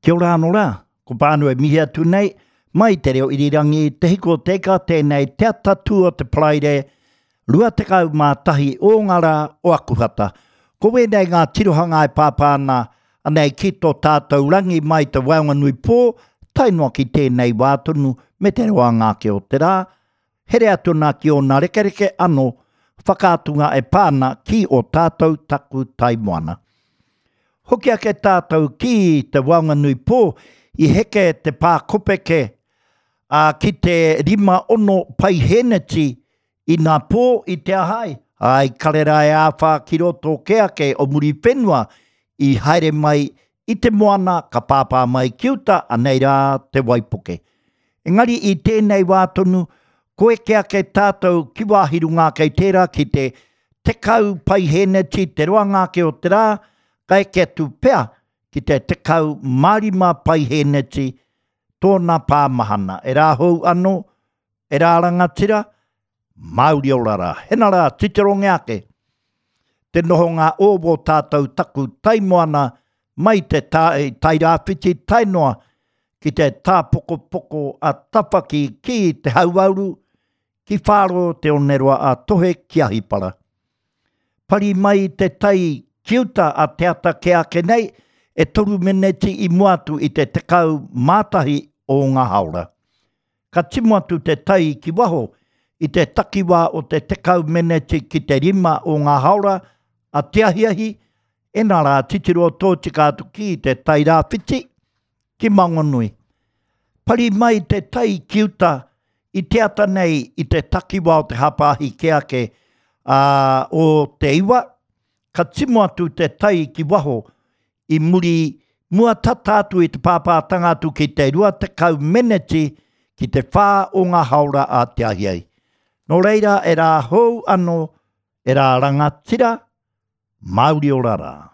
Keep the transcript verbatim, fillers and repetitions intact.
Kia ora anō rā, ko Pānu e mihi atu nei, mai te reo irirangi, te hiko te ika tēnei te atatū o te Paraire, rua tekau mā tahi o ngā rā o Akuhata. Ko wēnei ngā tirohanga e pāpā ana anei ki tō tātou rangi mai te waenganui pō, tae noa ki tēnei wā tonu me te roanga ake o te rā, here atu ana ki ōna rekereke anō whakaatunga e pā ana ki o tātou taku tai moana. Hoki ake tātou ki te waenganui pō, i heke te pā kopeke a, ki te rima ono paiheneti i nā pō i te ahai. Ai, karera e āwhā ki roto ke ake o Muriwhenua i haere mai i te moana ka pāpā mai ki uta, anei rā te waipuke. Engari i tēnei wā tonu, ko eke ake tātou ki wāhi runga ake i tērā ki te tekau paiheneti te roanga ake o te rā, ka eke atu pea ki te tekau mā rima paiheneti tōna pāmahana. E rā hou anō, e rā rangatira, Māori ora rā. Hena rā, titironge ake. Te nohonga o wō tātou taku taimoana mai te tā, Tairāwhiti tae noa ki te tāpokopoko a Tawhaki ki te hauauru, ki Whāro te oneroa a Tohe ki Ahipara. Pari mai te tai ki uta a Te Ata ke ake nei, e toru meneti i mua atu i te tekau mā tahi o ngā haora. Ka timo atu te tai ki waho i te takiwā o te tekau meneti ki te rima o ngā haora a te ahiahi, ena rā titiro tōtika atu ki te tai rāwhiti, ki Maunganui. Pari mai te tai ki uta i te ata nei i te takiwā o te hapāhi ke ake a, o te iwa, ka timo atu te tai ki waho i muri mua tata atu i te pāpātanga atu ki te rua tekau meneti ki te whā o ngā haora a te ahiahi. Nō reira e rā hou anō, e rā rangatira, Māori ora rā.